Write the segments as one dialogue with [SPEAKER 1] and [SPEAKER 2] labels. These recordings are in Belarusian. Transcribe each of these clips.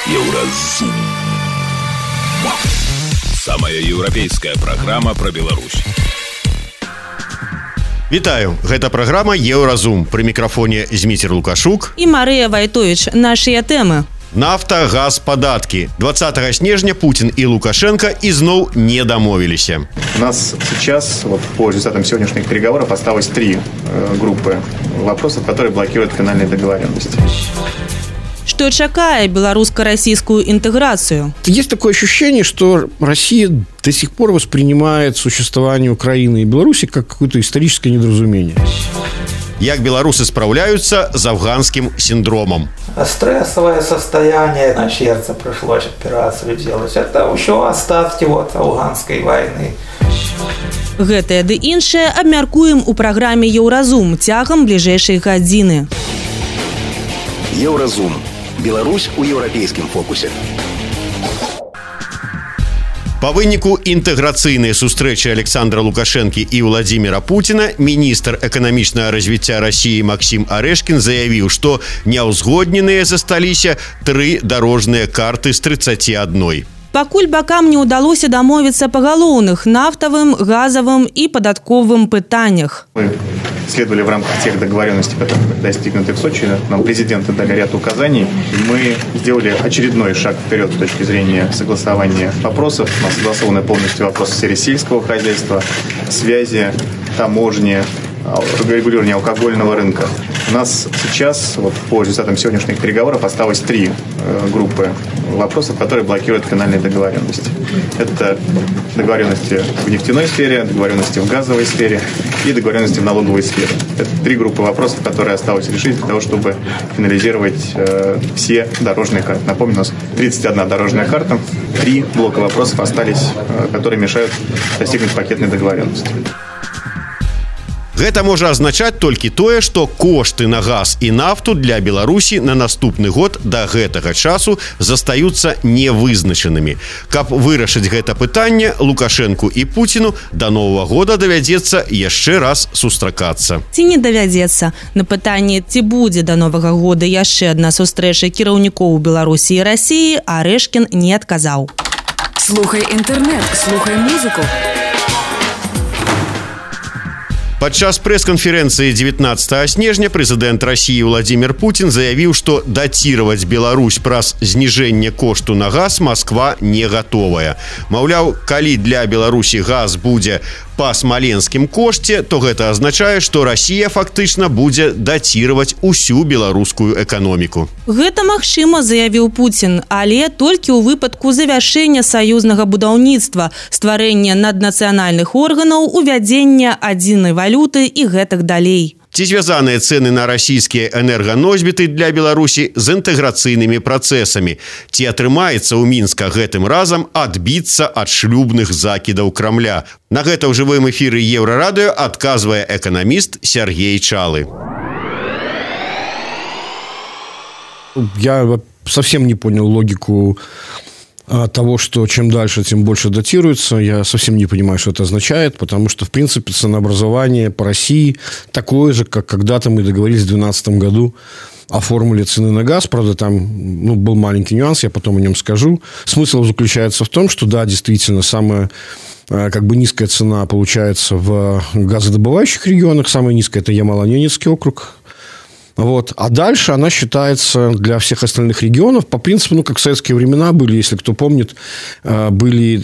[SPEAKER 1] Еўразум. Самая еўрапейская праграма пра Беларусь.
[SPEAKER 2] Вітаю, гэта праграма «Еўразум». Пры мікрафоне Зміцер Лукашук
[SPEAKER 3] і Марыя Вайтовіч. Нашыя тэмы.
[SPEAKER 2] Нафта, газ, падаткі. 20 снежня Путин и Лукашенко изноў не домовились.
[SPEAKER 4] У нас сейчас, по результатам сегодняшних переговоров, осталось 3 группы вопросов, которые блокируют финальные договоренности.
[SPEAKER 3] Что чакае белорусско-российскую интеграцию?
[SPEAKER 5] Есть такое ощущение, что Россия до сих пор воспринимает существование Украины и Беларуси как какое-то историческое недоразумение.
[SPEAKER 2] Як белорусы справляются с афганским синдромом.
[SPEAKER 6] Стрессовое состояние, на сердце пришлось операцию делать. Это еще остатки афганской войны.
[SPEAKER 3] Гэтае ды іншае абмяркуем у праграме «Еўразум» цягам бліжэйшай гадзіны.
[SPEAKER 7] Еўразум. Беларусь у еўрапейскім фокусе.
[SPEAKER 2] По выніку інтэграцыйнай сустрэчы Александра Лукашэнкі і Владимира Путина міністр эканамічнага развіцця России Максим Орешкин заявіў, што няўзгодненыя засталіся 3 дарожныя карты з 31.
[SPEAKER 3] Пакуль бакам не удалося дамовіцца па галоўных нафтавым, газовым и податковым пытаннях.
[SPEAKER 4] Мы следовали в рамках тех договоренностей, которые достигнуты в Сочи. Нам президенты дали ряд указаний. Мы сделали очередной шаг вперед с точки зрения согласования вопросов. У нас согласованы полностью вопросы в сфере сельского хозяйства, связи, таможни, регулирования алкогольного рынка. У нас сейчас, по результатам сегодняшних переговоров, осталось 3 группы вопросов, которые блокируют финальные договоренности. Это договоренности в нефтяной сфере, договоренности в газовой сфере и договоренности в налоговой сфере. Это 3 группы вопросов, которые осталось решить для того, чтобы финализировать все дорожные карты. Напомню, у нас 31 дорожная карта, 3 блока вопросов остались, которые мешают достигнуть пакетной договоренности.
[SPEAKER 2] Гэта можа азначаць толькі тое, што кошты на газ і нафту для Беларусі на наступны год да гэтага часу застаюцца невызначанымі. Каб вырашыць гэта пытанне, Лукашэнку і Путіну да Новага года давядзецца яшчэ раз сустракацца.
[SPEAKER 3] Ці не давядзецца? На пытанне, ці будзе да Новага года яшчэ адна сустрэча кіраўнікоў Беларусі і Расіі, Арэшкін не адказаў.
[SPEAKER 8] Слухай інтэрнэт, слухай музыку.
[SPEAKER 2] Падчас прэс-канферэнцыі 19 снежня прэзідэнт России Владимир Путин заявіў, што дацировать Беларусь праз зніжэнне кошту на газ Москва не готовая. Маўляў, калі для Беларусі газ будзе па смаленскім кошце, то гэта азначае, што Россия фактычна будзе дацировать усю беларускую эканоміку.
[SPEAKER 3] Гэта магчыма, заявіў Путин, але толькі ў выпадку завяршэння саюзнага будаўніцтва, стварэння наднацыянальных органаў, увядзення адзінай валюты і гэтак далей.
[SPEAKER 2] Ці звязаныя цэны на расійскія энерганосьбіты для Беларусі з інтэграцыйнымі працэсамі? Ці атрымаецца ў Мінска гэтым разам адбіцца ад шлюбных закідаў Крамля? На гэта ў жывым эфіры Еўрарадыё адказвае эканаміст Сергей Чалы.
[SPEAKER 5] Я совсем не понял логику того, что чем дальше, тем больше датируется. Я совсем не понимаю, что это означает, потому что, в принципе, ценообразование по России такое же, как когда-то мы договорились в 2012 году о формуле цены на газ. Правда, там был маленький нюанс, я потом о нем скажу. Смысл заключается в том, что, да, действительно, самая низкая цена получается в газодобывающих регионах. Самая низкая – это Ямало-Ненецкий округ. А дальше она считается для всех остальных регионов по принципу, как в советские времена были, если кто помнит, были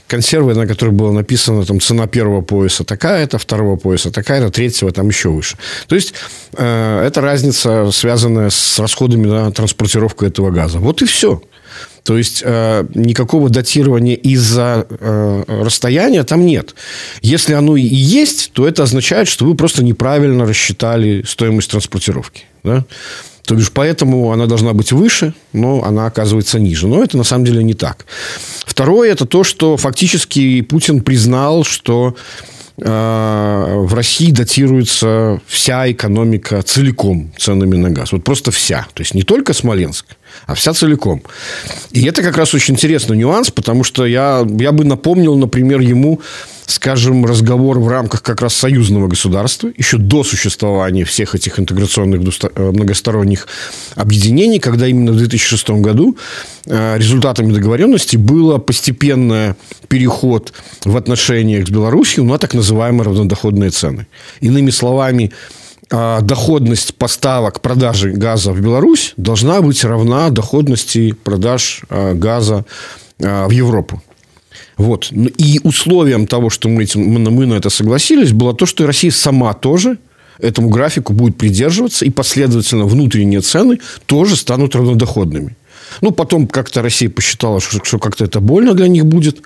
[SPEAKER 5] консервы, на которых было написано там, цена первого пояса такая-то, второго пояса такая-то, третьего там еще выше. То есть это разница, связанная с расходами на транспортировку этого газа. Вот и все. То есть никакого датирования из-за расстояния там нет. Если оно и есть, то это означает, что вы просто неправильно рассчитали стоимость транспортировки. Да? То бишь, поэтому она должна быть выше, но она оказывается ниже. Но это на самом деле не так. Второе – это то, что фактически Путин признал, что в России датируется вся экономика целиком ценами на газ. Просто вся. То есть не только Смоленск, а вся целиком. И это как раз очень интересный нюанс, потому что я бы напомнил, например, ему скажем, разговор в рамках как раз союзного государства, еще до существования всех этих интеграционных многосторонних объединений, когда именно в 2006 году результатами договоренности был постепенный переход в отношениях с Беларусью на так называемые равнодоходные цены. Иными словами, доходность поставок, продажи газа в Беларусь должна быть равна доходности продаж газа в Европу. Вот. И условием того, что мы на это согласились, было то, что Россия сама тоже этому графику будет придерживаться, и последовательно внутренние цены тоже станут равнодоходными. Ну, потом как-то Россия посчитала, что как-то это больно для них будет.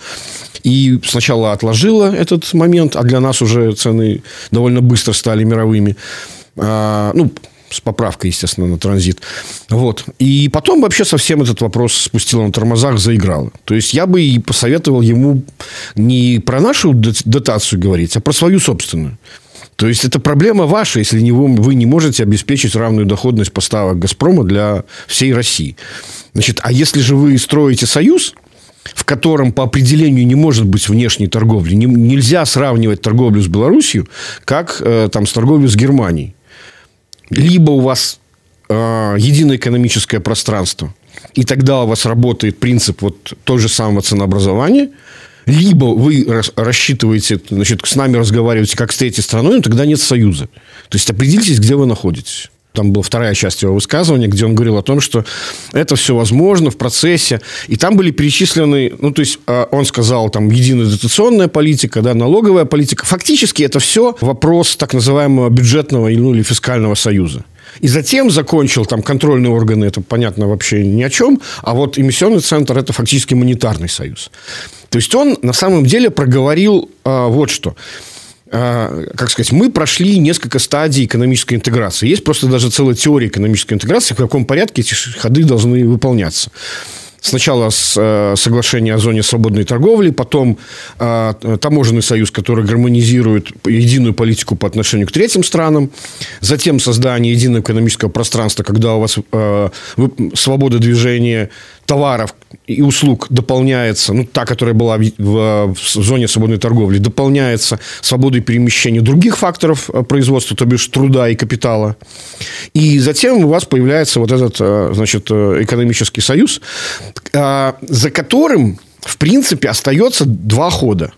[SPEAKER 5] И сначала отложила этот момент, а для нас уже цены довольно быстро стали мировыми. Ну, с поправкой, естественно, на транзит. Вот. И потом вообще совсем этот вопрос спустила на тормозах, заиграла. То есть, я бы и посоветовал ему не про нашу дотацию говорить, а про свою собственную. То есть, это проблема ваша, если вы не можете обеспечить равную доходность поставок «Газпрома» для всей России. Значит, а если же вы строите союз, в котором по определению не может быть внешней торговли, нельзя сравнивать торговлю с Беларусью, как там, с торговлей с Германией. Либо у вас единое экономическое пространство, и тогда у вас работает принцип вот того же самого ценообразования, либо вы рассчитываете, значит, с нами разговариваете как с третьей страной, но тогда нет союза. То есть, определитесь, где вы находитесь. Там была вторая часть его высказывания, где он говорил о том, что это все возможно в процессе. И там были перечислены, ну, то есть, он сказал, там, единая дотационная политика, да, налоговая политика. Фактически, это все вопрос так называемого бюджетного или фискального союза. И затем закончил, там, контрольные органы, это, понятно, вообще ни о чем. А вот эмиссионный центр – это фактически монетарный союз. То есть, он на самом деле проговорил вот что. Как сказать, мы прошли несколько стадий экономической интеграции. Есть просто даже целая теория экономической интеграции, в каком порядке эти ходы должны выполняться. Сначала соглашение о зоне свободной торговли, потом таможенный союз, который гармонизирует единую политику по отношению к третьим странам, затем создание единого экономического пространства, когда у вас свобода движения товаров и услуг дополняется, ну, та, которая была в зоне свободной торговли, дополняется свободой перемещения других факторов производства, то бишь труда и капитала. И затем у вас появляется вот этот, значит, экономический союз, за которым, в принципе, остается два хода.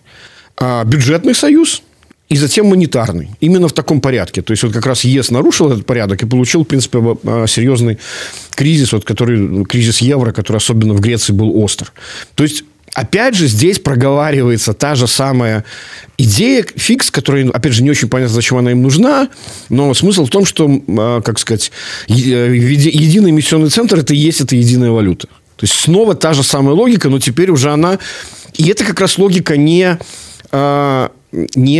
[SPEAKER 5] Бюджетный союз и затем монетарный. Именно в таком порядке. То есть, вот как раз ЕС нарушил этот порядок и получил, в принципе, серьезный кризис, вот, кризис евро, который особенно в Греции был остр. То есть, опять же, здесь проговаривается та же самая идея, фикс, которая, опять же, не очень понятно, зачем она им нужна, но смысл в том, что, как сказать, единый эмиссионный центр – это и есть эта единая валюта. То есть, снова та же самая логика, но теперь уже она... И это как раз логика не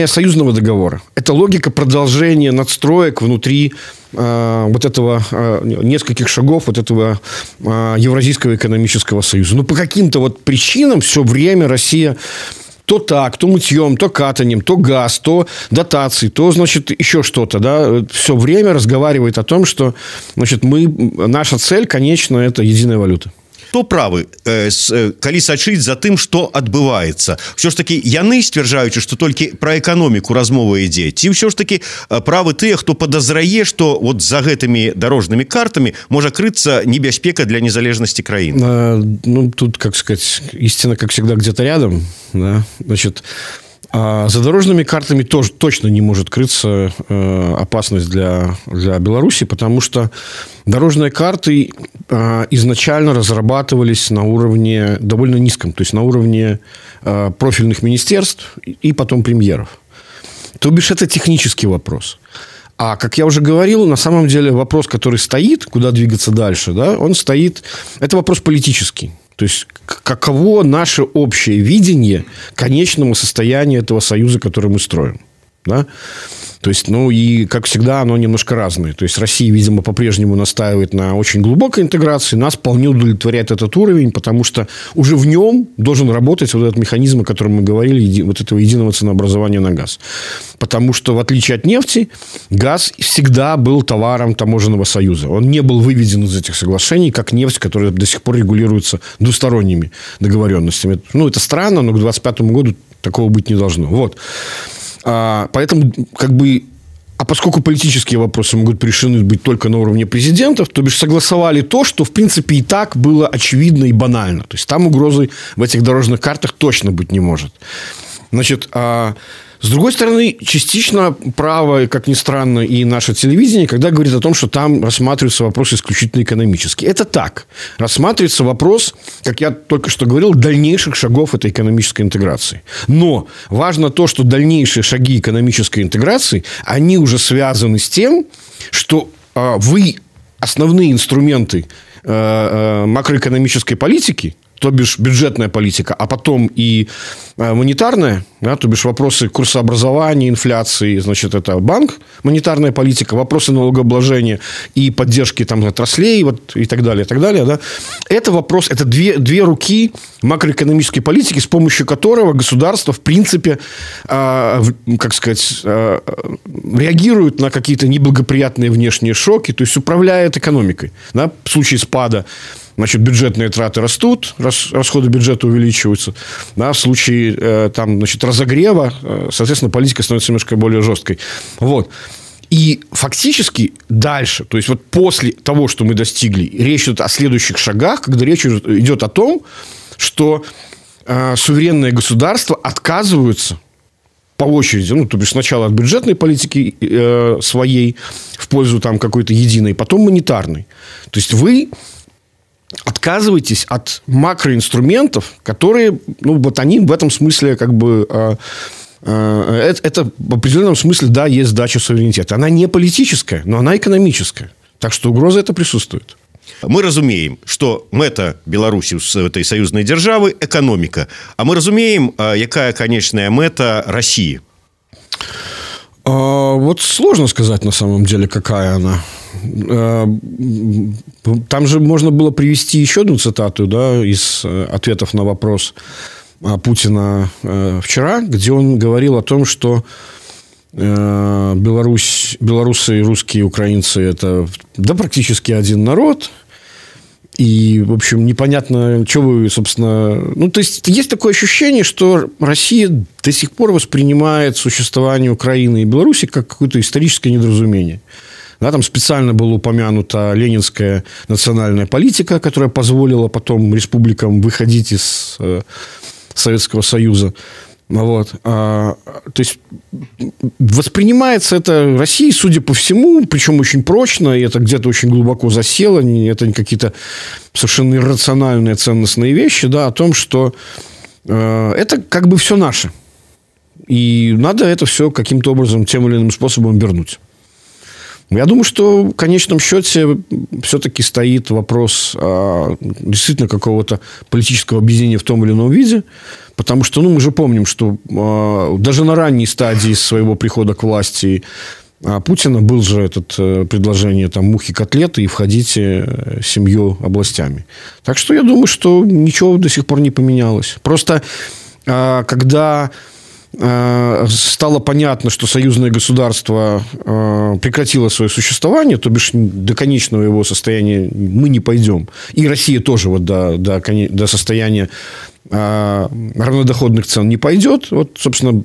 [SPEAKER 5] союзного договора. Это логика продолжения надстроек внутри вот этого нескольких шагов вот этого Евразийского экономического союза. Но по каким-то вот причинам все время Россия то так, то мытьем, то катанием, то газ, то дотации, то, значит, еще что-то, да, все время разговаривает о том, что, значит, наша цель, конечно, это единая валюта.
[SPEAKER 2] Хто правы, калі сачыць за тым, што адбываецца? Ўсё ж такі яны сцвярджаючы, што толькі пра эканоміку размова ідзе, ці ўсё ж такі правы тыя, хто падазрае, што вот за гэтымі дарожнымі картамі можа крыцца небяспека для незалежнасці краіны?
[SPEAKER 5] Ну, тут, как сказать, истина, как всегда, где-то рядом, да, значит... За дорожными картами тоже точно не может крыться опасность для Беларуси, потому что дорожные карты изначально разрабатывались на уровне довольно низком, то есть на уровне профильных министерств и потом премьеров. То бишь это технический вопрос. А, как я уже говорил, на самом деле вопрос, который стоит, куда двигаться дальше, да, он стоит, это вопрос политический. То есть, каково наше общее видение конечного состояния этого союза, который мы строим. Да? То есть, ну, и, как всегда, оно немножко разное. То есть, Россия, видимо, по-прежнему настаивает на очень глубокой интеграции. Нас вполне удовлетворяет этот уровень, потому что уже в нем должен работать вот этот механизм, о котором мы говорили, вот этого единого ценообразования на газ. Потому что, в отличие от нефти, газ всегда был товаром таможенного союза. Он не был выведен из этих соглашений, как нефть, которая до сих пор регулируется двусторонними договоренностями. Ну, это странно, но к 2025 году Такого быть не должно. Вот. Поэтому, как бы, поскольку политические вопросы могут решены быть только на уровне президентов, то бишь согласовали то, что, в принципе, и так было очевидно и банально. То есть там угрозы в этих дорожных картах точно быть не может. Значит, с другой стороны, частично право, как ни странно, и наше телевидение, когда говорит о том, что там рассматриваются вопросы исключительно экономические. Это так. Рассматривается вопрос, как я только что говорил, дальнейших шагов этой экономической интеграции. Но важно то, что дальнейшие шаги экономической интеграции, они уже связаны с тем, что вы основные инструменты макроэкономической политики, то бишь бюджетная политика, а потом и монетарная, да, то бишь вопросы курсообразования, инфляции, значит, это банк, монетарная политика, вопросы налогообложения и поддержки там отраслей вот, и так далее, да. Это вопрос, это две руки макроэкономической политики, с помощью которого государство, в принципе, как сказать, реагирует на какие-то неблагоприятные внешние шоки, то есть управляет экономикой. Да, в случае спада, значит, бюджетные траты растут, расходы бюджета увеличиваются. Да, в случае там, значит, разогрева, соответственно, политика становится немножко более жесткой. Вот. И фактически дальше, то есть вот после того, что мы достигли, речь идет о следующих шагах, когда речь идет о том, что суверенные государства отказываются по очереди, ну, то бишь сначала от бюджетной политики своей в пользу там какой-то единой, потом монетарной. То есть вы отказываетесь от макроинструментов, которые, ну, вот они в этом смысле как бы... Это в определенном смысле, да, есть сдача суверенитета. Она не политическая, но она экономическая. Так что угроза это присутствует.
[SPEAKER 2] Мы разумеем, что мэта Беларусі з этой саюзнай дзяржавы эканоміка. А мы разумеем, якая конечная мэта России?
[SPEAKER 5] Вот сложно сказать на самом деле, какая она. Там же можно было привести еще одну цитату, да, из ответов на вопрос Путина вчера, где он говорил о том, что белорусы, русские, украинцы – это да, практически один народ. И, в общем, непонятно, что вы, собственно... Ну, то есть, есть такое ощущение, что Россия до сих пор воспринимает существование Украины и Беларуси как какое-то историческое недоразумение. Да, там специально была упомянута ленинская национальная политика, которая позволила потом республикам выходить из Советского Союза. Вот. То есть, воспринимается это Россией, судя по всему, причем очень прочно, и это где-то очень глубоко засело, это не какие-то совершенно иррациональные ценностные вещи, да, о том, что это как бы все наше. И надо это все каким-то образом, тем или иным способом вернуть. Я думаю, что в конечном счете все-таки стоит вопрос действительно какого-то политического объединения в том или ином виде, потому что, ну, мы же помним, что даже на ранней стадии своего прихода к власти Путина был же это предложение там мухи-котлеты и входите 7 областями. Так что я думаю, что ничего до сих пор не поменялось. Просто когда стало понятно, что союзное государство прекратило свое существование, то бишь до конечного его состояния мы не пойдем. И Россия тоже вот до состояния равнодоходных цен не пойдет. Вот, собственно,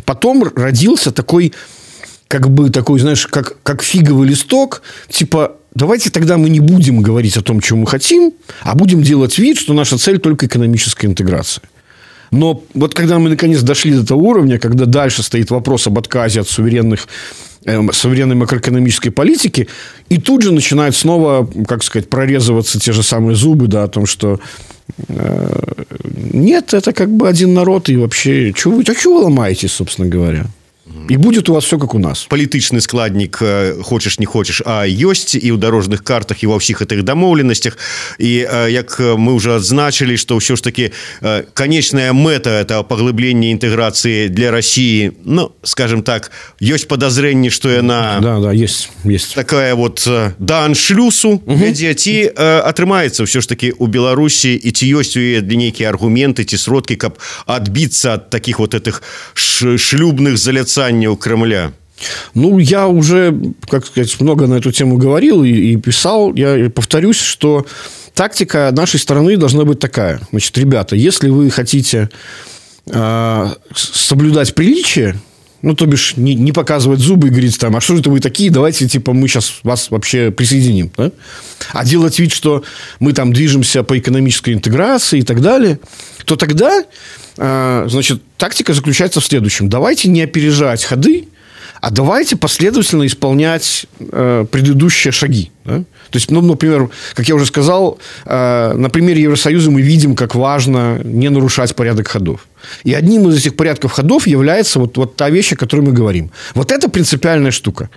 [SPEAKER 5] потом родился такой, знаешь, как фиговый листок, типа, давайте тогда мы не будем говорить о том, чего мы хотим, а будем делать вид, что наша цель только экономическая интеграция. Но вот когда мы наконец дошли до того уровня, когда дальше стоит вопрос об отказе от суверенной макроэкономической политики, и тут же начинают снова, как сказать, прорезываться те же самые зубы, да, о том, что нет, это как бы один народ, и вообще, чего вы ломаетесь, собственно говоря? І буде у вас все, як у нас.
[SPEAKER 2] Палітычны складнік, хочаш не хочаш, а ёсць і ў дарожных картах, і ва ўсіх гэтых дамоўленасцях. І як мы ўжо адзначылі, што ўсё ж таки конечная мэта – это паглыбленне інтэграцыі для России, ну, скажем так, ёсць падазрэнне, што яна
[SPEAKER 5] есть.
[SPEAKER 2] Такая вот да аншлюсу вядзе, ці атрымаецца ўсё ж таки у Беларусі, і ці ёсць у яе нейкія аргументы ці сродкі, каб адбіцца ад таких вот этих шлюбных заляцанняў Кремля?
[SPEAKER 5] Ну, я уже, как сказать, много на эту тему говорил и писал. Я повторюсь, что тактика нашей страны должна быть такая. Значит, ребята, если вы хотите соблюдать приличие, ну, то бишь, не показывать зубы и говорить там, а что это вы такие, давайте, типа, мы сейчас вас вообще присоединим, да? А делать вид, что мы там движемся по экономической интеграции и так далее, то тогда, значит, тактика заключается в следующем. Давайте не опережать ходы, а давайте последовательно исполнять предыдущие шаги. Да? То есть, ну, например, как я уже сказал, на примере Евросоюза мы видим, как важно не нарушать порядок ходов. И одним из этих порядков ходов является вот та вещь, о которой мы говорим. Вот это принципиальная штука.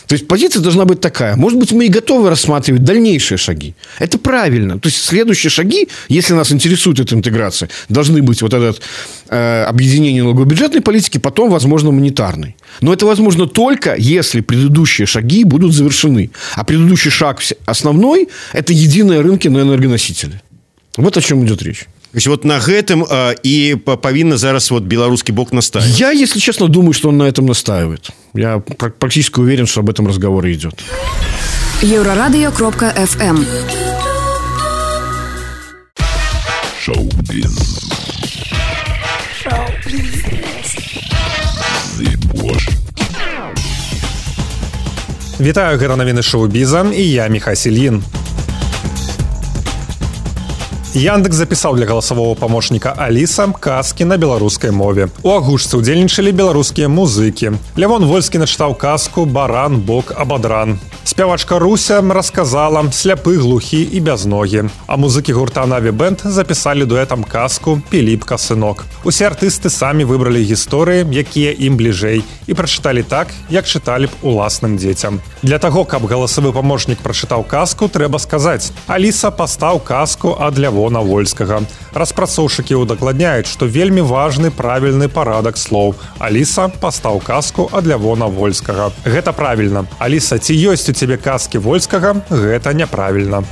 [SPEAKER 5] То есть, позиция должна быть такая. Может быть, мы и готовы рассматривать дальнейшие шаги. Это правильно. То есть, следующие шаги, если нас интересует эта интеграция, должны быть вот это объединение налогово-бюджетной политики, потом, возможно, монетарной. Но это возможно только, если предыдущие шаги будут завершены. А предыдущий шаг основной – это единые рынки на энергоносители. Вот о чем идет речь.
[SPEAKER 2] То есть вот на гэтым и павінна зараз вот беларускі бок настаивать.
[SPEAKER 5] Я, если честно, думаю, что он на этом настаивает. Я практически уверен, что об этом разговор и идет.
[SPEAKER 8] Еврорадио.фм.
[SPEAKER 1] Шоу-биз.
[SPEAKER 9] Вітаю, гэта навіны шоу-біза, і я Міхай Сільін. Яндекс запісаў для галасавого памочніка Аліса казкі на беларускай мове. У агучцы ўдзельнічалі беларускія музыкі. Лявон Вольскі начытаў казку «Баран, бок, абадран». Спявачка Руся расказала «Сляпы, глухі і бязногі». А музыкі гурта «Наві Бэнд» запісалі дуэтам казку «Піліпка, сынок». Усе артысты самі выбралі гісторыі, якія ім бліжэй, і прачыталі так, як чыталі б уласным дзецям. Для таго, каб галасавы памочнік прачытаў казку, трэба сказаць: «Аліса, пастаў казку ад Лявона Вольскага». Распрацоўшчыкі удакладняюць, што вельмі важны правільны парадак слоў. «Аліса, пастаў казку ад Лявона Вольскага». Гэта правільна. «Аліса, ці ёсць у цябе казкі Вольскага?» Гэта няправільна.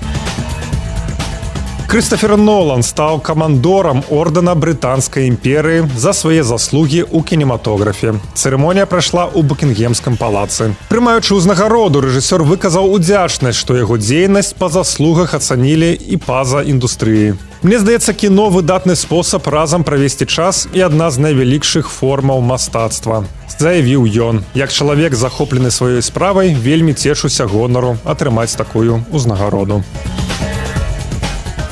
[SPEAKER 9] Крыстофер Нолан стаў камандорам ордэна Брытанскай імперыі за свае заслугі ў кінематографе. Цырымонія прайшла ў Букінгемскім палацы. Прымаючы ўзнагароду, рэжысёр выказаў удзячнасць, што яго дзейнасць па заслугах ацанілі і па-за індустрыі. Мне здаецца, кіно выдатны спосаб разам правесці час і адна з найвялікшых формаў мастацтва. Заявіў ён. Як чалавек, захоплены сваёй справай, вельмі цешуся гонару атрымаць такую ўзнагароду.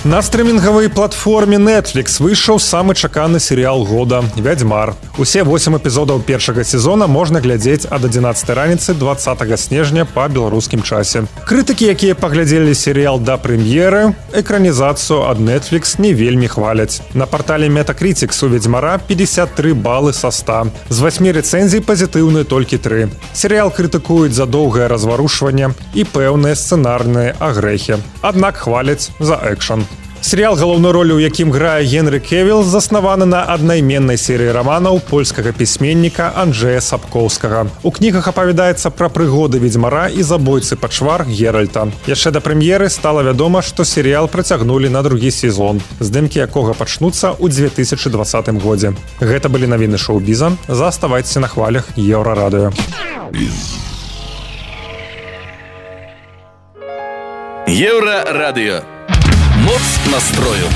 [SPEAKER 9] На стрымінгавай платформе Netflix выйшаў самы чаканы серыял года «Вядзьмар». Усе 8 эпізодаў першага сезона можна глядзець ад 11 раніцы 20 снежня па беларускім часе. Крытыкі, якія паглядзелі серыял да прэм'еры, экранізацыю ад Netflix не вельмі хваляць. На партале Metacritics у «Вядзьмара» 53 балы са 100. З 8 рэцэнзій пазітыўны толькі 3. Серыял крытыкуюць за доўгае разварушванне і пэўныя сцэнарныя агрэхі. Аднак хваляць за экшн. Серыял, галоўную ролю ў якім грае Генры Кевіл, заснаваны на аднайменнай серыі раманаў польскага пісьменніка Анджэя Сапкоўскага. У кнігах апавядаецца пра прыгоды ведзьмара і забойцы пачвар Геральта. Яшчэ да прэм'еры стала вядома, што серыял працягнулі на другі сезон, здымкі якога пачнуцца ў 2020 годзе. Гэта былі навіны шоу-біза. Заставайцеся на хвалях Еўрарадыё.
[SPEAKER 1] Еўрарадыё. Моц настрою.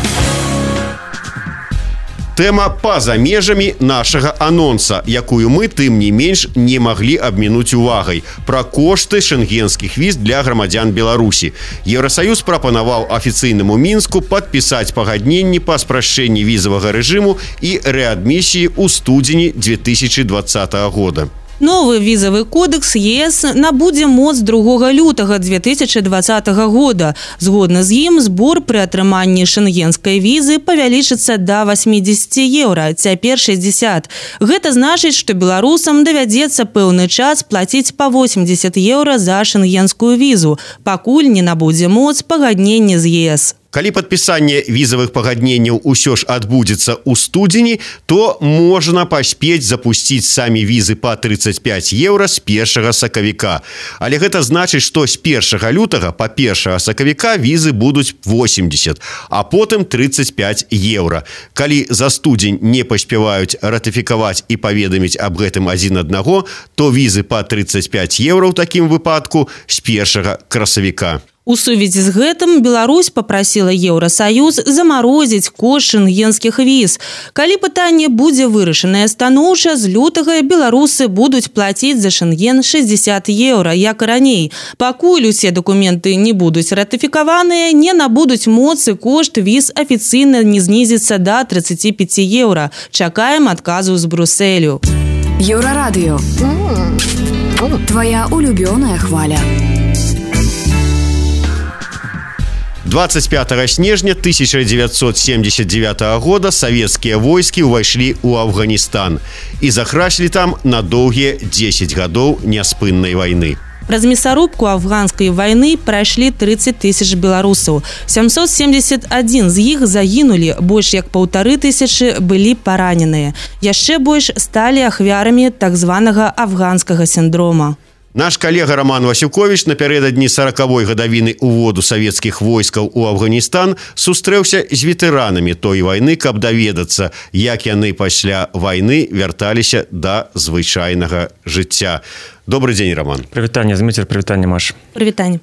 [SPEAKER 2] Тэма па-за межамі нашага анонса, якую мы, тым не менш, не маглі абмінуць увагай. Пра кошты шэнгенскіх віз для грамадзян Беларусі. Еўрасаюз прапанаваў афіцыйнаму Мінску падпісаць пагадненні па спрашчэнні візавага рэжыму і рэадмісіі ў студзені 2020 года.
[SPEAKER 3] Новы візавы кодекс ЕС набудзе моц 2 лютага 2020 года. Згодна з ім, збор пры атрыманні шэнгенскай візы павялічыцца да 80 еўра, цяпер 60. Гэта значыць, што беларусам давядзецца пэўны час плаціць па 80 еўра за шэнгенскую візу, пакуль не набудзе моц пагадненне з ЕС.
[SPEAKER 2] Калі падпісанне візавых пагадненняў усё ж адбудзецца ў студзені, то можна паспець запусціць самі візы па 35 еўра з 1 сакавіка. Але гэта значыць, што з 1 лютага па 1 сакавіка візы будуць 80, а потым 35 еўра. Калі за студзень не паспяваюць ратыфікаваць і паведаміць аб гэтым адзін аднаго, то візы па 35 еўра ў такім выпадку з 1 красавіка.
[SPEAKER 3] У сувязі з гэтым Беларусь папрасіла Еўрасаюз замарозіць кошт шэнгенскіх віз. Калі пытанне будзе вырашанае станоўча, з лютага беларусы будуць плаціць за шэнген 60 еўра, як і раней. Пакуль усе дакументы не будуць ратыфікаваныя, не набудуць моцы, кошт віз афіцыйна не знізіцца да 35 еўра. Чакаем адказу з Брусэлю.
[SPEAKER 8] Еўрарадыё. Твоя улюбёная хваля.
[SPEAKER 2] 25 снежня 1979 года савецкія войскі ўвайшлі ў Афганістан і захраслі там на доўгія 10 гадоў няспыннай вайны.
[SPEAKER 3] Праз мясарубку афганскай вайны прайшлі 30 тысяч беларусаў. 771 з іх загінулі, больш як 1500 былі параненыя. Яшчэ больш сталі ахвярамі так званага афганскага сіндрома.
[SPEAKER 2] Наш калега Роман Васюкович напярэдадні 40-й гадавіны уводу савецкіх войскаў у Афганістан сустрэўся з ветэранамі той вайны, каб даведацца, як яны пасля вайны вярталіся да звычайнага жыцця. Добрый дзень, Роман.
[SPEAKER 10] Прывітанне, Зміцер, прывітанне, Маш.
[SPEAKER 3] Прывітанне.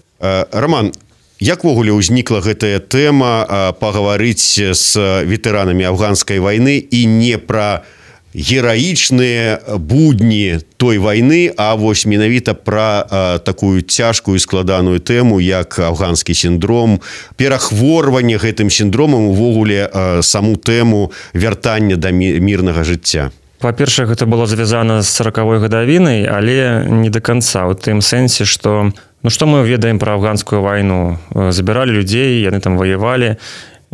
[SPEAKER 2] Роман, як ввогуле ўзнікла гэтая тэма пагаварыць з ветэранамі афганскай вайны і не пра гераічныя будні той вайны, а вось менавіта пра такую цяжкую складаную тэму, як афганскі сіндром, перахворванне гэтым сіндромам, увогуле саму тэму вяртання да мірнага жыцця.
[SPEAKER 10] Па-першае, гэта было звязана з 40-й гадавінай, але не да канца, у тым сэнсе, што што мы ведаем пра афганскую вайну? Забіралі людзей, яны там ваявалі,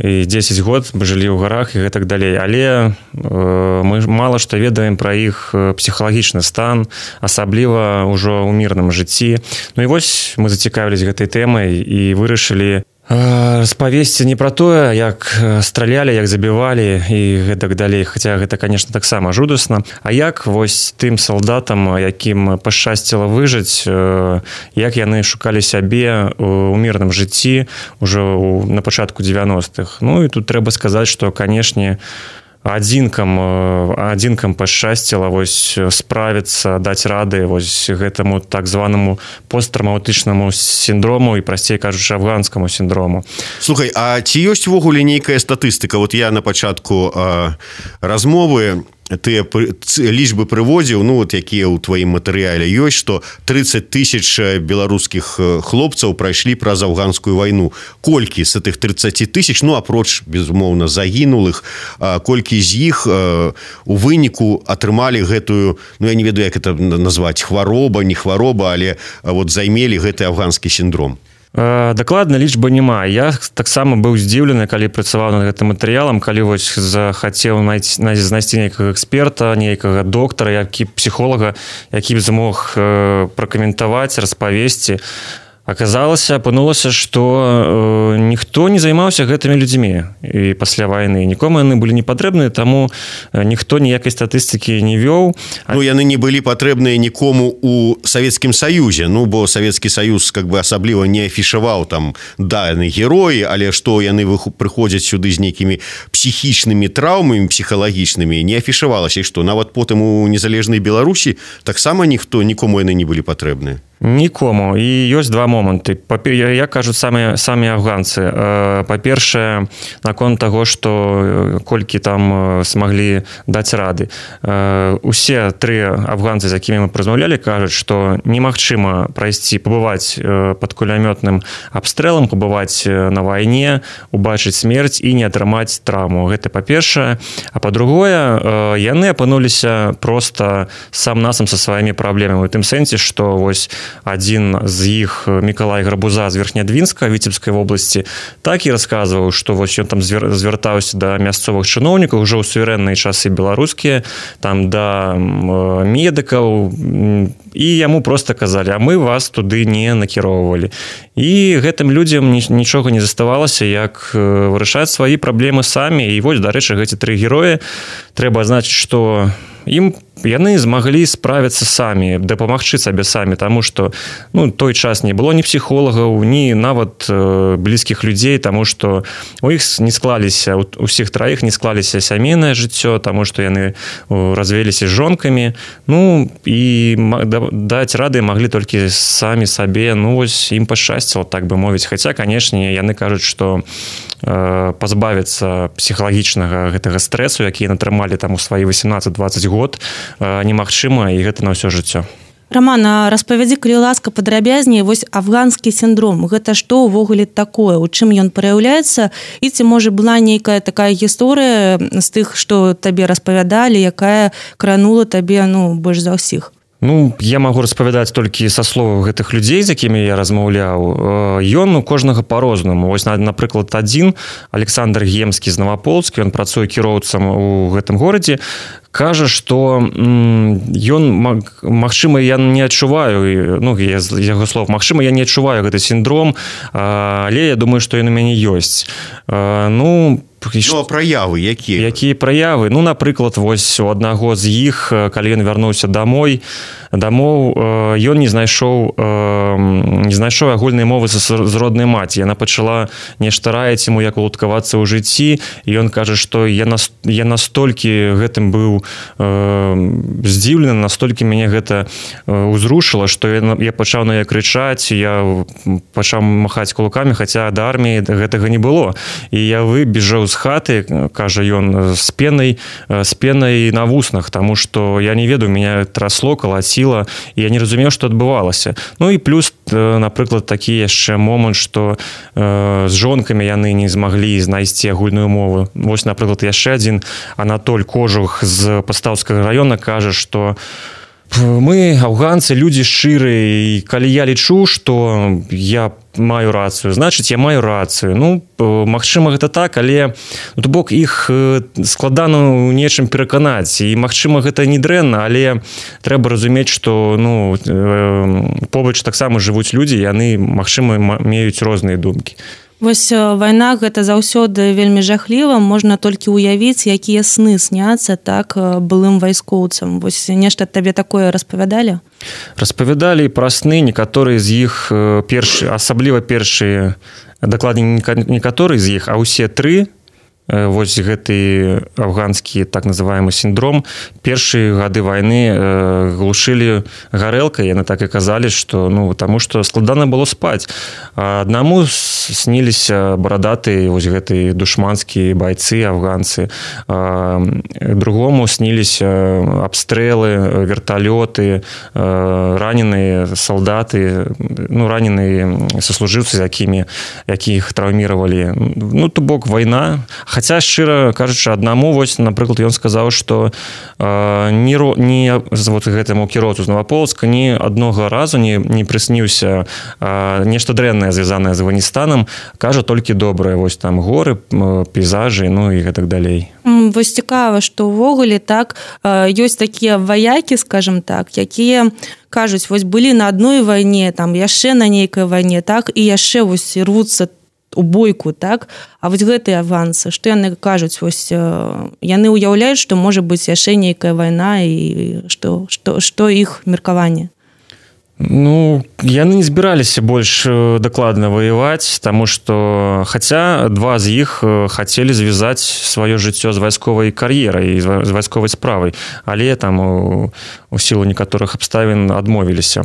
[SPEAKER 10] і 10 год жылі ў гарах і гэтак далей, але мы мала што ведаем пра іх псіхалагічны стан, асабліва ўжо ў мірным жыцці. Ну і вось мы зацікавілись гэтай тэмай і вырашылі распавесці не пра тое, як стралялі, як забівалі і гэтак далей, хаця гэта, конечно, таксама жудасна, а як вось тым салдатам, якім пашчасціла выжыць, як яны шукалі сябе ў мірным жыцці ўжо на пачатку 90-х. Ну і тут трэба сказаць, што, канешне, адзінкам пашчасціла вось справіцца, даць рады вось гэтаму так званаму посттраўматычнаму сіндрому і, прасцей кажучы, афганскаму сіндрому.
[SPEAKER 2] Слухай, а ці ёсць увогуле нейкая статыстыка? Вот я на пачатку размовы тыя лічбы прыводзіў, ну вот якія ў тваім матэрыяле ёсць, што 30 тысяч беларускіх хлопцаў прайшлі праз афганскую вайну. Колькі з гэтых 30 тысяч, ну апроч, безумоўна, загінулых, колькі з іх у выніку атрымалі гэтую, ну я не ведаю, як это назваць, хвароба, не хвароба, але вот займелі гэты афганскі сіндром.
[SPEAKER 10] Дакладна лічбы няма. Я таксама быў здзіўлены, калі працаваў над гэтым матэрыялам, калі вось захацеў знайсці нейкага эксперта, нейкага доктара, псіхолага, які б змог пракаментаваць, распавесці. Апынулася, што ніхто не займаўся гэтымі людзьмі і пасля вайны. Нікому яны былі не патрэбныя, таму ніхто ніякай статыстыкі не вёў.
[SPEAKER 2] Ну, яны не былі патрэбныя нікому ў Савецкім Саюзе, ну, бо Савецкі Саюз как бы асабліва не афішаваў там даны героі, але што яны прыходзяць сюды з нейкімі псіхічнымі траўмамі, псіхалагічнымі, не афішавалася, і што нават потым у незалежнай Беларусі таксама нікому яны не былі патрэбныя.
[SPEAKER 10] Нікому. І ёсць два моманты. Як кажуць самі афганцы. Па-першае, наконт таго, што колькі там смаглі даць рады. Усе тры афганцы, з якімі мы размаўлялі, кажуць, што немагчыма прайсці, пабываць пад кулямётным абстрэлам, пабываць на вайне, убачыць смерць і не атрымаць траўму. Гэта па-першае. А па-другое, яны апынуліся проста сам-насам са сваімі праблемамі. У тым сэнсе, што вось адзін з іх, Мікалай Грабуза з Верхнядвінска, Віцебскай вобласці, так і расказваў, што вось ён там звяртаўся да мясцовых чыноўнікаў ўжо ў суверэнныя часы беларускія, там да медыкаў, і яму проста казалі, а мы вас туды не накіроўвалі. І гэтым людзям нічога не заставалася, як вырашаць свае праблемы самі. І вось, дарэчы, гэты тры героі, трэба азначыць, што яны змаглі справіцца самі, дапамагчы сабе самі, таму што той час не было ні псіхолагаў, ні нават блізкіх людзей, таму што у іх не склаліся, усіх траіх не склаліся сямейнае жыццё, таму што яны развеліся з жонкамі, і даць рады маглі толькі самі сабе, вось ім пашчасціла, так бы мовіць. Хаця, канешне, яны кажуць, што пазбавіцца псіхалагічнага гэтага стрэсу, які яны атрымалі там у свае 18-20 год, немагчыма, і гэта на ўсё жыццё.
[SPEAKER 3] Роман, а распавядзі, калі ласка, падрабязней, вось афганскі сіндром, гэта што ўвогуле такое, у чым ён праяўляецца, і ці, можа, была нейкая такая гісторыя з тых, што табе распавядалі, якая кранула табе, больш за ўсіх?
[SPEAKER 10] Я магу распавядаць толькі са словаў гэтых людзей, з якімі я размаўляў. Ён у кожнага па-рознаму. Вось, напрыклад, адзін, Александр Гемскі з Наваполцка, ён працуе кіроўцам у гэтым горадзе, кажа, што ён, магчыма, я не адчуваю, з яго слов, магчыма, я не адчуваю гэты сіндром, але я думаю, што ён у мяне ёсць.
[SPEAKER 2] Праявы якія?
[SPEAKER 10] Якія праявы? Напрыклад, вось у аднаго з іх, калі ён вярнуўся дамоў, ён не знайшоў агульнай мовы з роднай маці. Яна пачала нешта раіць яму, як уладкавацца ў жыцці, і ён кажа, што я настолькі гэтым быў здзіўлены, настолькі мяне гэта ўзрушыла, што я пачаў на яе крычаць, я пачаў махаць кулакамі, хаця да арміі гэтага не было. І я выбежаў з хаты, кажа ён, з пенай на вуснах, таму што я не ведаю, мяне трасло, калаціла, і я не разумеў, што адбывалася. І плюс, напрыклад, такі яшчэ момант, што з жонкамі яны не змаглі знайсці агульную мову. Вось, напрыклад, яшчэ адзін Анатоль Кожух з Пастаўскага раёна кажа, што мы, афганцы, людзі шчырыя, і калі я лічу, што я маю рацыю, значыць, я маю рацыю. Магчыма, гэта так, але то бок іх складана ў нечым пераканаць, і магчыма, гэта не дрэнна, але трэба разумець, што побач таксама жывуць людзі, яны, магчыма, меюць розныя думкі.
[SPEAKER 3] Вось вайна гэта заўсёды вельмі жахліва, можна толькі ўявіць, якія сны сняцца так былым вайскоўцам. Вось нешта табе такое распавядалі?
[SPEAKER 10] Распавядалі пра сны, некаторыя з іх асабліва першыя, дакладней некаторыя з іх, а ўсе тры, вось гэты афганскі так называемы сіндром, першыя гады вайны глушылі гарэлкай, яны так і казалі, што таму што складана было спаць. Аднаму сніліся барадатыя вось гэты душманскія байцы, афганцы, другому сніліся абстрэлы, верталёты, раненыя салдаты, раненыя саслужыўцы, якіх траўміравалі. То бок вайна. Хаця, шчыра кажучы, аднаму, вось, напрыклад, ён сказаў, што гэтаму кіроўцу з Наваполцка ні аднога разу не прысніўся нешта дрэннае, звязанае з Афганістанам, кажа толькі добрае, вось там горы, пейзажы, і гэтак далей.
[SPEAKER 3] Вось цікава, што ўвогуле так ёсць такія ваякі, скажам так, якія кажуць, вось былі на адной вайне, там яшчэ на нейкай вайне, так, і яшчэ вось рвуцца у бойку, так? А вось гэтыя афганцы, што яны кажуць, вось яны ўяўляюць, што можа быць яшчэ нейкая вайна, і што іх меркаванне?
[SPEAKER 10] Яны не збіраліся больш дакладна ваяваць, таму што, хаця два з іх хацелі звязаць сваё жыццё з вайсковай кар'ерай і з вайсковай справай, але там у сілу некаторых абставін адмовіліся.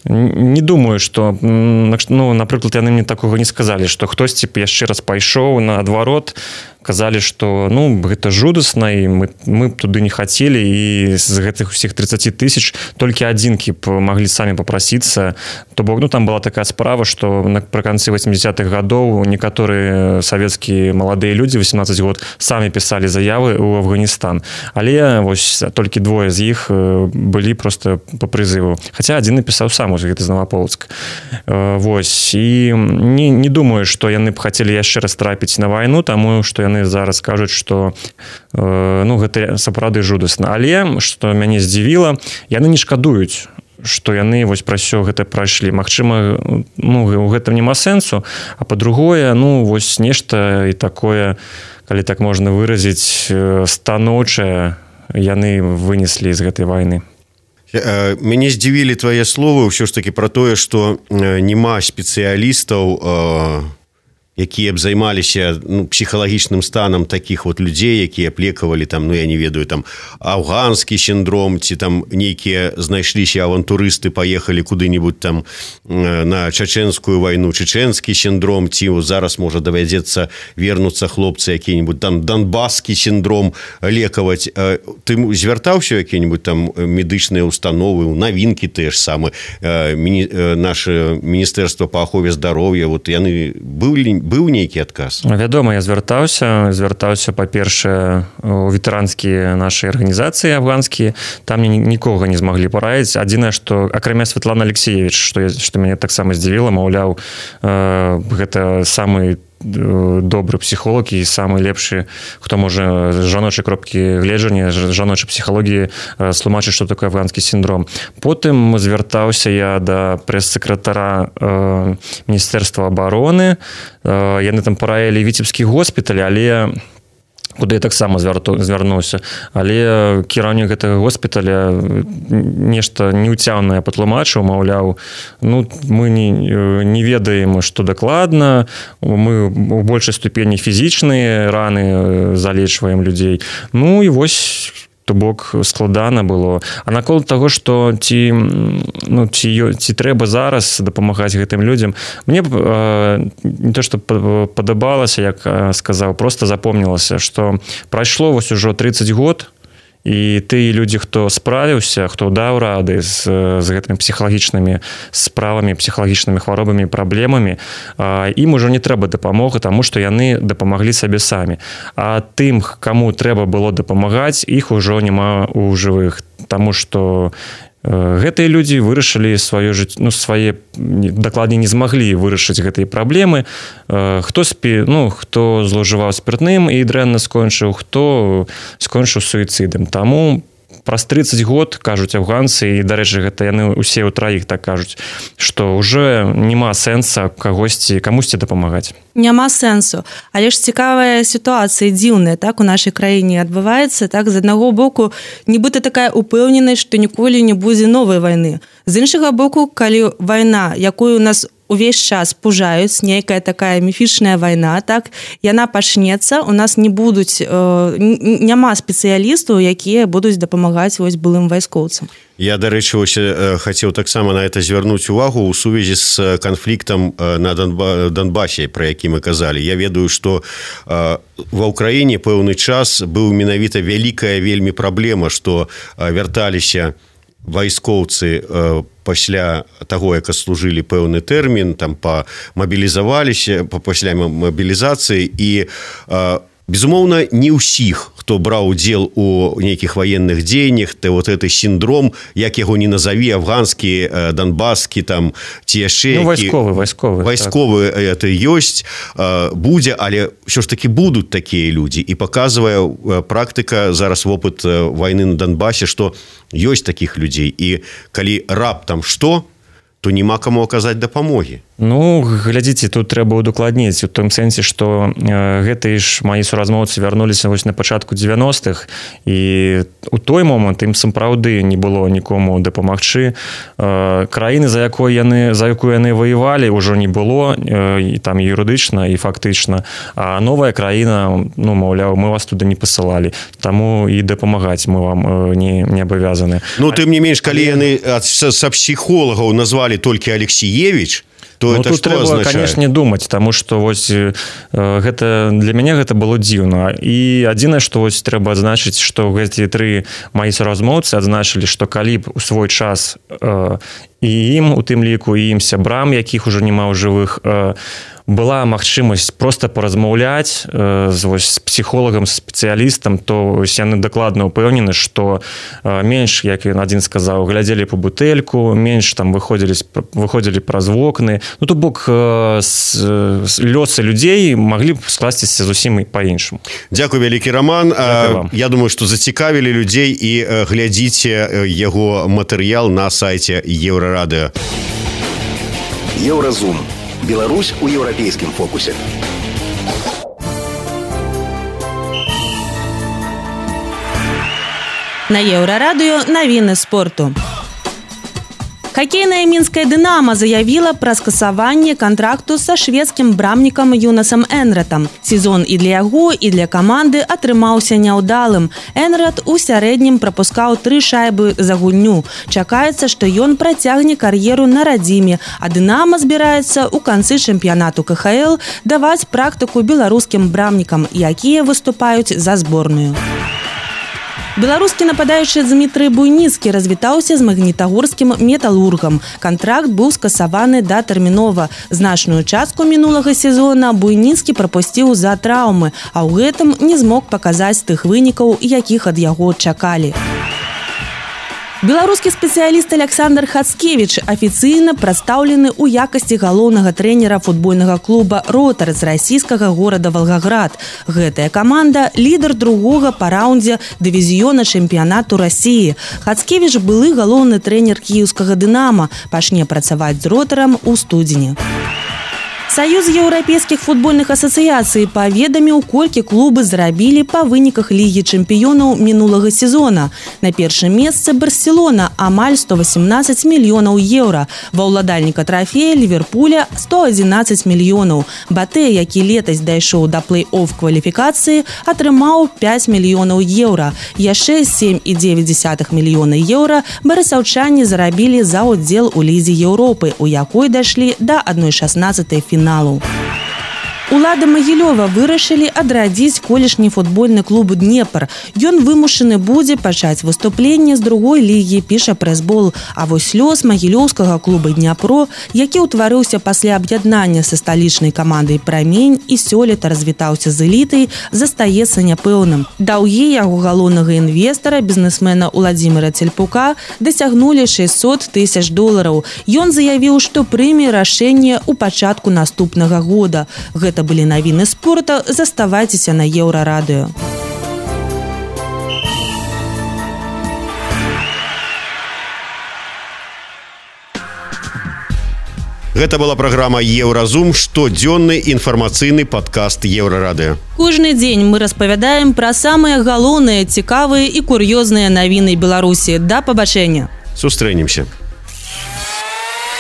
[SPEAKER 10] Не думаю, што, напрыклад, яны мне такога не сказалі, што хтосьці яшчэ раз пайшоў наадварот, казалі, што гэта жудасна, і мы туды не хацелі, і з гэтых усіх 30 000 толькі адзінкі маглі самі папрасіцца. То бок, там была такая справа, што напрыканцы 80-х гадоў некаторыя савецкія маладыя людзі, 18 год, самі пісалі заявы ў Афганістан. Але вось толькі двое з іх былі проста па прызыву. Хаця адзін напісаў сам, гэта з Наваполцка. Вось. І не думаю, што яны б хацелі яшчэ раз трапіць на вайну, таму што яны зараз кажуць, што гэта сапраўды жудасна. Але, што мяне здзівіла, яны не шкадуюць, што яны вось пра ўсё гэта прайшлі. Магчыма, у гэтым няма сэнсу, а па-другое, вось нешта і такое, калі так можна выразіць, станоўчае яны вынеслі з гэтай вайны.
[SPEAKER 2] Мяне здзівілі твае словы ўсё ж такі пра тое, што няма спецыялістаў, якія б займаліся псіхалагічным станам такіх вот людзей, якія плекавалі там, я не ведаю, там афганскі сіндром, ці там нейкія знайшліся авантурысты, паехалі куды-нибудь там на чачэнскую вайну, чечэнскі сіндром, ці зараз можа давядзецца вернуцца хлопцы які-нибудь там донбаскі сіндром лекаваць. Ты звяртаўся які-нибудь там медычныя установы, навінкі тыя ж самы, наше міністэрства па ахове здароўя, вот яны быў нейкі адказ?
[SPEAKER 10] Вядома, я звяртаўся па-першае у ветэранскія нашай арганізацыі афганскія, там нікога не змаглі параіць. Адзінае, што акрамя Святлана Алексеевич, што мяне таксама здзівіла, маўляў, гэта самы добры псіхолог і самы лепшы, хто можа з жаночай кропкі гледжання, жаночай псіхалогіі слумачыць, што такое афганскі сіндром. Потым звяртаўся я да прэс-сакратара Міністэрства абароны. Яны там параілі Віцебскі госпіталь, але куды я таксама звярнуўся. Але кіраўнік гэтага госпіталя нешта неўцямнае патлумачыў, маўляў, мы не ведаем, што дакладна, мы ў большай ступені фізічныя раны залечваем людзей. І вось то бок складана было. А наконт таго, што ці трэба зараз дапамагаць гэтым людзям, мне не то, што падабалася, як сказаў, проста запомнілася, што прайшло вось ужо 30 год, і тыя людзі, хто справіўся, хто даў рады з гэтымі псіхалагічнымі справамі, псіхалагічнымі хваробамі, праблемамі, ім ужо не трэба дапамога, таму што яны дапамаглі сабе самі. А тым, каму трэба было дапамагаць, іх ужо няма ў жывых, таму што гэтыя людзі вырашылі свае, дакладней не змаглі вырашыць гэтыя праблемы. Хто злоўжываў спіртным і дрэнна скончыў, хто скончыў суіцыдам. Таму праз 30 год, кажуць афганцы, і, дарэчы, гэта яны ўсе ў траіх так кажуць, што ўжо няма сэнса камусьці дапамагаць.
[SPEAKER 3] Няма сэнсу. Але ж цікавая сітуацыя, дзіўная, так, у нашай краіне адбываецца, так, з аднаго боку, нібыта такая упэўненасць, што ніколі не будзе новай вайны. З іншага боку, калі вайна, якую у нас увесь час пужаюць, нейкая такая міфічная вайна, так, яна пачнецца, у нас няма спецыялістаў, якія будуць дапамагаць вось былым вайскоўцам.
[SPEAKER 2] Я, дарэчы, хацеў таксама на это звярнуць увагу ў сувязі з канфліктам на Донбасе, пра які мы казалі. Я ведаю, што ва ўкраіне пэўны час быў менавіта вялікая вельмі праблема, што вярталіся вайскоўцы пасля таго, як служылі пэўны тэрмін, там мабілізаваліся пасля мабілізацыі, і безумоўна, не ўсіх, хто браў удзел у нейкіх ваенных дзеяннях, вот гэты сіндром, як яго не назаві, афганскі, донбаскі, там, ці яшчэ вайсковы это ёсць, будзе, але ўсё ж такі будуць такія людзі. І паказвае практыка, зараз вопыт вайны на Донбасе, што ёсць такіх людзей. І калі раптам што, то няма каму аказаць дапамогі.
[SPEAKER 10] Глядзіце, тут трэба удакладніць у том сэнсе, што гэтыя ж маі суразмоўцы вярнуліся вось на пачатку 90-х, і у той момант ім сапраўды не было нікому дапамагчы. Краіны, за якую яны ваявалі, ўжо не было, і там юрыдычна і фактычна. А новая краіна, маўляў, мы вас туды не пасылалі, таму і дапамагаць мы вам не абавязаны.
[SPEAKER 2] Тым не менш, калі яны са псіхолагаў назвалі толькі Алексеевич, то это
[SPEAKER 10] тут трэба, канешне, думаць, таму што вось для мяне гэта было дзіўна. І адзінае, што вось трэба адзначыць, што гэтыя тры маі суразмоўцы адзначылі, што калі б у свой час і ім, у тым ліку, і ім сябрам, якіх ужо няма ў жывых, была магчымасць проста паразмаўляць з псіхолагам, спецыялістам, то яны дакладна ўпэўнены, што менш, як ён адзін сказаў, глядзелі па бутэльку, менш там выходзілі праз вокны. То бок лёсы людзей маглі б скласціся зусім па-іншаму.
[SPEAKER 2] Дзякуй, вялікі Роман. Я думаю, што зацікавілі людзей, і глядзіце яго матэрыял на сайце Еўрарадыё.
[SPEAKER 7] Еўразум. Беларусь у еўрапейскім фокусе.
[SPEAKER 3] На Еўрарадыё навіны спорту. Хоккейная мінская «Дынамо» заявила про скасаванне контракту со шведским брамнікам Юнасом Энратом. Сезон і для яго, і для команды атрымаўся няўдалым. Энрат у сярэднім прапускаў 3 шайбы за гульню. Чакаецца, што ён працягне кар'еру на радзіме, а «Дынамо» збіраецца ў канцы чэмпіянату КХЛ даваць практыку беларускім брамнікам, якія выступаюць за зборную. Беларускі нападаючы Дмітрый Буйніцкі развітаўся з магнітагорскім металургам. Кантракт быў скасаваны датэрмінова. Значную частку мінулага сезона Буйніцкі прапусціў з-за траўмы, а ў гэтым не змог паказаць тых вынікаў, якіх ад яго чакалі. Беларускі спецыяліст Александр Хацкевіч афіцыйна прадстаўлены ў якасці галоўнага трэнера футбольнага клуба «Ротар» з расійскага горада Волгоград. Гэтая каманда – лідар другога па раўндзе дывізіёна чэмпіянату Расіі. Хацкевіч былы галоўны трэнер кіеўскага «Дынамо», пачне працаваць з «Ротарам» у студзені. Саюз еўрапейскіх футбольных асацыяцый паведаміў, колькі клубы зарабілі па выніках Лігі чэмпіёнаў мінулага сезона. На першым месцы Барселона – амаль 118 мільёнаў еўра. Ва ўладальніка трафея Ліверпуля – 111 мільёнаў. Батэ, які летась дайшоў да плэй-офф кваліфікацыі, атрымаў 5 мільёнаў еўра. Яшчэ 7,9 мільёна еўра барысаўчане зарабілі за ўдзел у Лізе Еўропы, у якой дайшлі да 1/16 фіналу. Улады Магілёва вырашылі адрадзіць колішні футбольны клуб «Днепр». Ён вымушаны будзе пачаць выступленне з другой лігі, піша прэсбол. А вось лёс магілёўскага клуба «Дняпро», які ўтварыўся пасля аб'яднання са сталічнай камандай «Прамень» і сёлета развітаўся з элітай, застаецца няпэўным. Даўгі яго галоўнага інвестара, бізнесмена Уладзіміра Цельпука, дасягнулі $600 000. Ён заявіў, што прыме рашэнне ў пачатку наступнага года. Гэта былі навіны спорта. Заставайцеся на Еўрарадыё.
[SPEAKER 2] Гэта была праграма «Еўразум», штодзённы інфармацыйны падкаст Еўрарадыё.
[SPEAKER 3] Кожны дзень мы распавядаем пра самыя галоўныя, цікавыя і кур'ёзныя навіны Беларусі. Да пабачэння.
[SPEAKER 2] Сустрэнемся.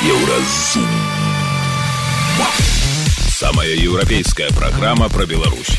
[SPEAKER 1] Еўразум. Самая европейская программа про Беларусь.